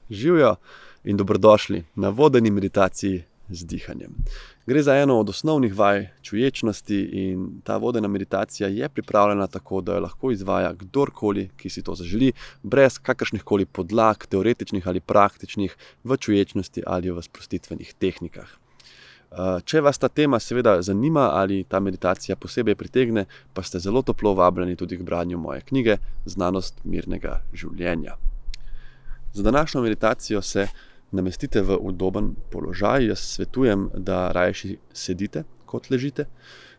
Živijo in dobrodošli na vodeni meditaciji z dihanjem. Gre za eno od osnovnih vaj čuječnosti in ta vodena meditacija je pripravljena tako, da jo lahko izvaja kdorkoli, ki si to zaželi, brez kakršnihkoli podlag, teoretičnih ali praktičnih, v čuječnosti ali v sprostitvenih tehnikah. Če vas ta tema seveda zanima ali ta meditacija posebej pritegne, pa ste zelo toplo vabljeni tudi k branju moje knjige Znanost mirnega življenja. Za današnjo meditacijo se namestite v udoben položaj. Jaz svetujem, da rajši sedite kot ležite.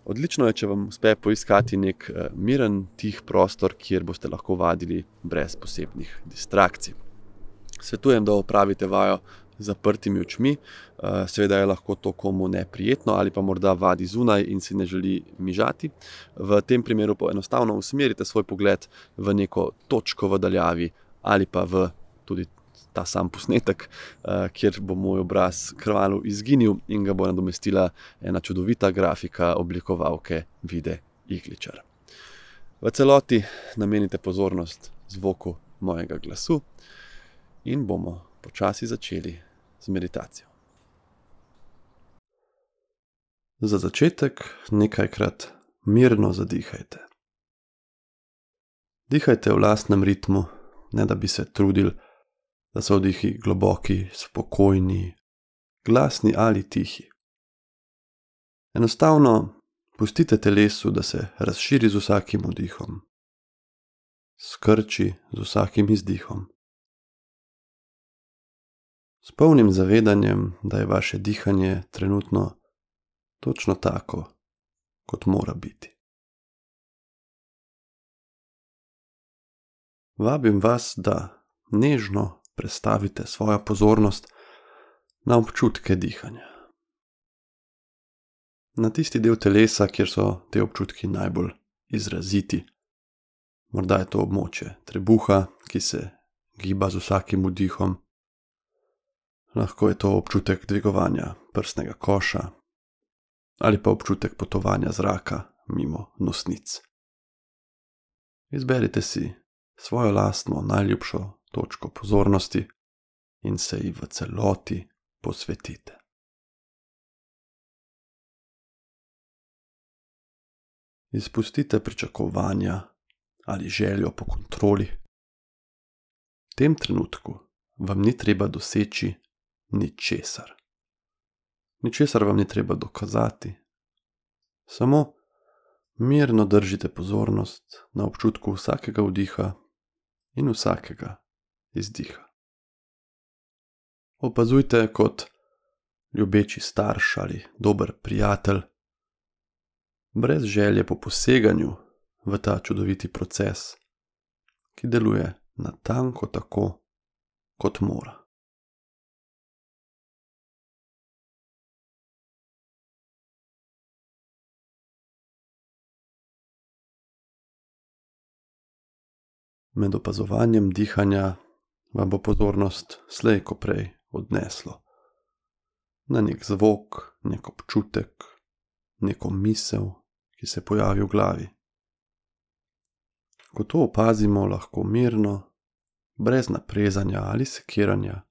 Odlično je, če vam uspe poiskati nek miren, tih prostor, kjer boste lahko vadili brez posebnih distrakcij. Svetujem, da opravite vajo z zaprtimi očmi. Seveda je lahko to komu neprijetno ali pa morda vadi zunaj in si ne želi mižati. V tem primeru pa enostavno usmerite svoj pogled v neko točko v daljavi ali pa v tudi ta sam posnetek, kjer bo moj obraz kmalu izginil in ga bo nadomestila ena čudovita grafika oblikovalke Vide Igličar. V celoti namenite pozornost zvoku mojega glasu in bomo počasi začeli z meditacijo. Za začetek nekajkrat mirno zadihajte. Dihajte v lastnem ritmu, ne da bi se trudili, da so vdihi globoki, spokojni, glasni ali tihi. Enostavno pustite telesu, da se razširi z vsakim vdihom, skrči z vsakim izdihom. S polnim zavedanjem, da je vaše dihanje trenutno točno tako, kot mora biti. Vabim vas, da nežno prestavite svojo pozornost na občutke dihanja. Na tisti del telesa, kjer so te občutki najbolj izraziti. Morda je to območje trebuha, ki se giba z vsakim vdihom. Lahko je to občutek dvigovanja prsnega koša ali pa občutek potovanja zraka mimo nosnic. Izberite si svojo lastno najljubšo točko pozornosti in se ji v celoti posvetite. Izpustite pričakovanja ali željo po kontroli. V tem trenutku vam ni treba doseči ničesar. Ničesar vam ni treba dokazati. Samo mirno držite pozornost na občutku vsakega vdiha in vsakega izdiha. Opazujte kot ljubeči starš ali dober prijatelj, brez želje po poseganju v ta čudoviti proces, ki deluje natanko tako, kot mora. Med opazovanjem dihanja vam bo pozornost slej ko prej odneslo na nek zvok, nek občutek, neko misel, ki se pojavi v glavi. Ko to opazimo, lahko mirno, brez naprezanja ali sekiranja,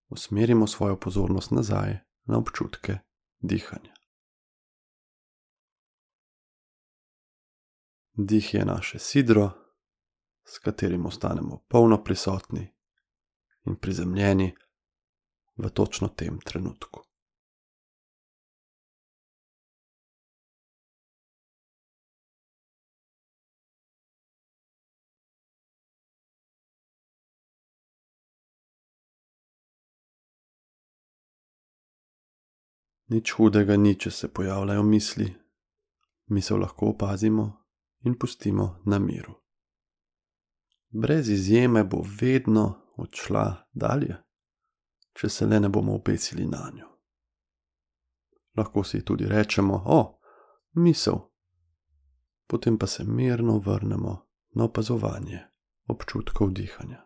usmerimo svojo pozornost nazaj na občutke dihanja. Dih je naše sidro, s katerim ostanemo polno prisotni in prizemljeni v točno tem trenutku. Nič hudega ni, če se pojavljajo misli. Misel lahko opazimo in pustimo na miru. Brez izjeme bo vedno odšla dalje, če se le ne bomo opecili nanjo. Lahko si tudi rečemo, misel, potem pa se mirno vrnemo na opazovanje občutkov dihanja.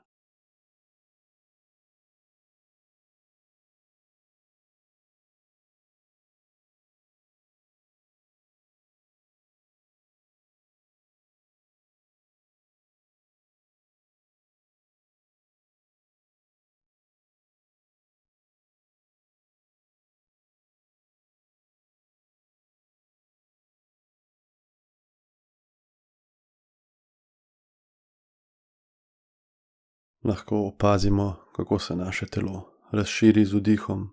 Lahko opazimo, kako se naše telo razširi z vdihom,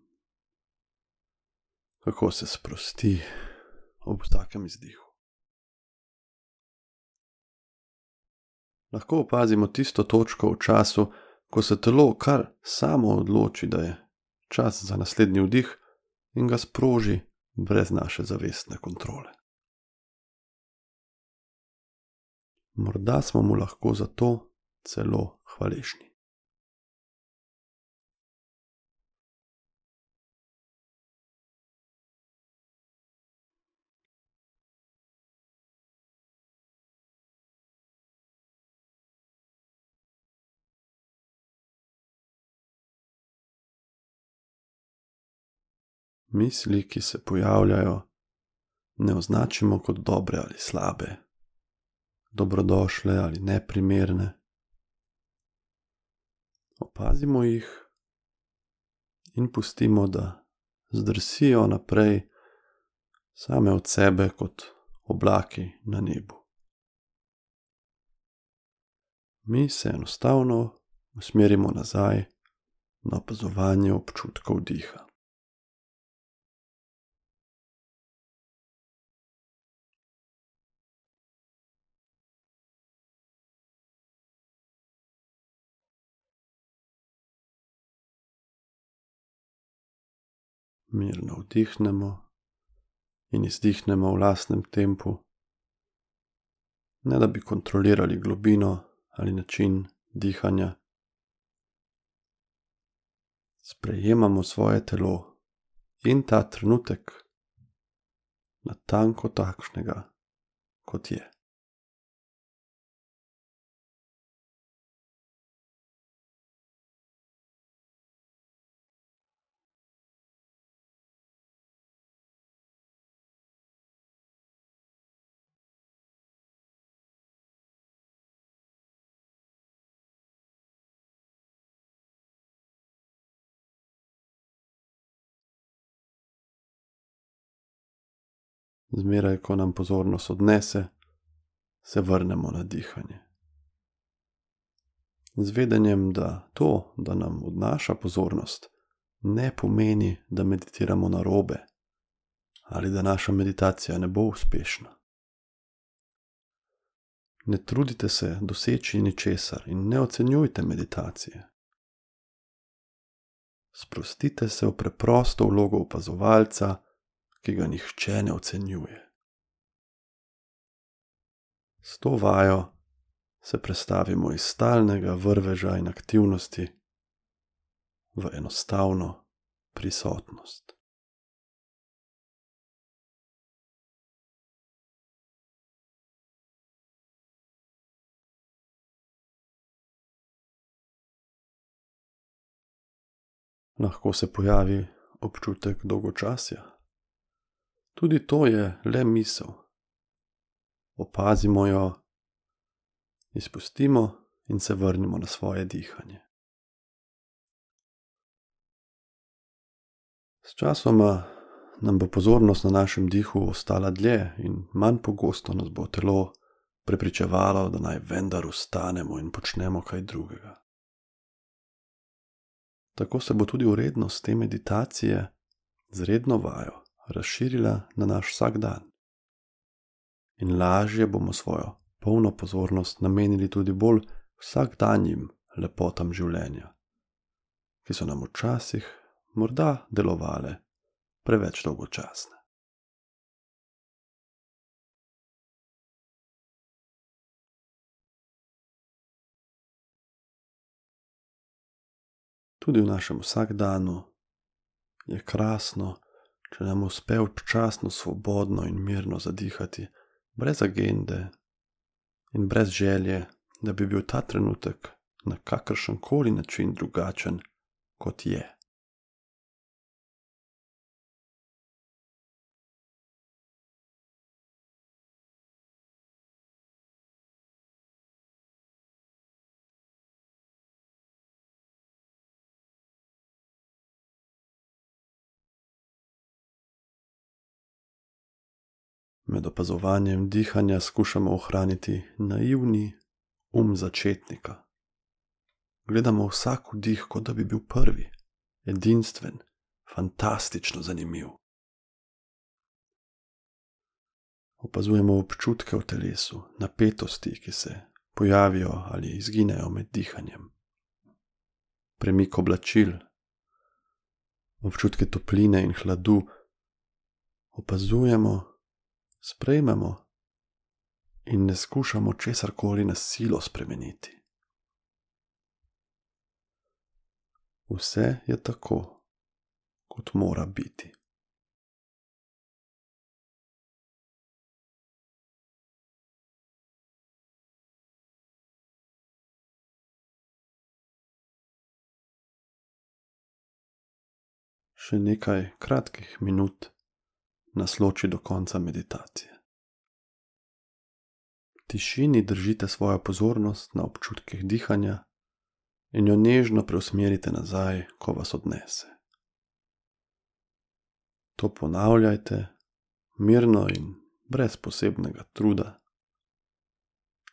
kako se sprosti ob vsakem izdihu. Lahko opazimo tisto točko v času, ko se telo kar samo odloči, da je čas za naslednji vdih in ga sproži brez naše zavestne kontrole. Morda smo mu lahko za to celo hvaležni. Misli, ki se pojavljajo, ne označimo kot dobre ali slabe, dobrodošle ali neprimerne. Opazimo jih in pustimo, da zdrsijo naprej same od sebe kot oblaki na nebu. Mi se enostavno usmerimo nazaj na opazovanje občutkov diha. Mirno vdihnemo in izdihnemo v lastnem tempu, ne da bi kontrolirali globino ali način dihanja. Sprejemamo svoje telo in ta trenutek natanko takšnega, kot je. Zmeraj, ko nam pozornost odnese, se vrnemo na dihanje. Z vedenjem, da to, da nam odnaša pozornost, ne pomeni, da meditiramo narobe ali da naša meditacija ne bo uspešna. Ne trudite se doseči ničesar in ne ocenjujte meditacije. Sprostite se v preprosto vlogo opazovalca, ki ga nihče ne ocenjuje. S to vajo se prestavimo iz stalnega vrveža in aktivnosti v enostavno prisotnost. Lahko se pojavi občutek dolgočasja. Tudi to je le misel. Opazimo jo, izpustimo in se vrnimo na svoje dihanje. Sčasoma nam bo pozornost na našem dihu ostala dlje in manj pogosto nas bo telo prepričevalo, da naj vendar ustanemo in počnemo kaj drugega. Tako se bo tudi vrednost te meditacije z redno vajo razširila na naš vsak dan. In lažje bomo svojo polno pozornost namenili tudi bolj vsakdanjim lepotam življenja, ki so nam včasih morda delovale preveč dolgočasne. Tudi v našem vsakdanu je krasno, če nam uspe občasno svobodno in mirno zadihati, brez agende in brez želje, da bi bil ta trenutek na kakršenkoli način drugačen, kot je. Med opazovanjem dihanja skušamo ohraniti naivni začetnika. Gledamo vsak vdih, kot da bi bil prvi, edinstven, fantastično zanimiv. Opazujemo občutke v telesu, napetosti, ki se pojavijo ali izginejo med dihanjem. Premik oblačil, občutke topline in hladu. Opazujemo, sprejmemo in ne skušamo česarkoli na silo spremeniti. Vse je tako, kot mora biti. Še nekaj kratkih minut nas loči do konca meditacije. V tišini držite svojo pozornost na občutkih dihanja in jo nežno preusmerite nazaj, ko vas odnese. To ponavljajte mirno in brez posebnega truda,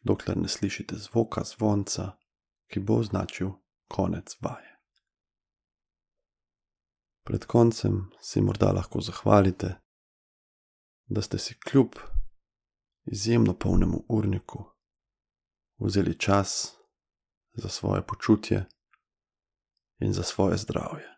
dokler ne slišite zvoka zvonca, ki bo označil konec vaje. Pred koncem si morda lahko zahvalite, da ste si kljub izjemno polnemu urniku vzeli čas za svoje počutje in za svoje zdravje.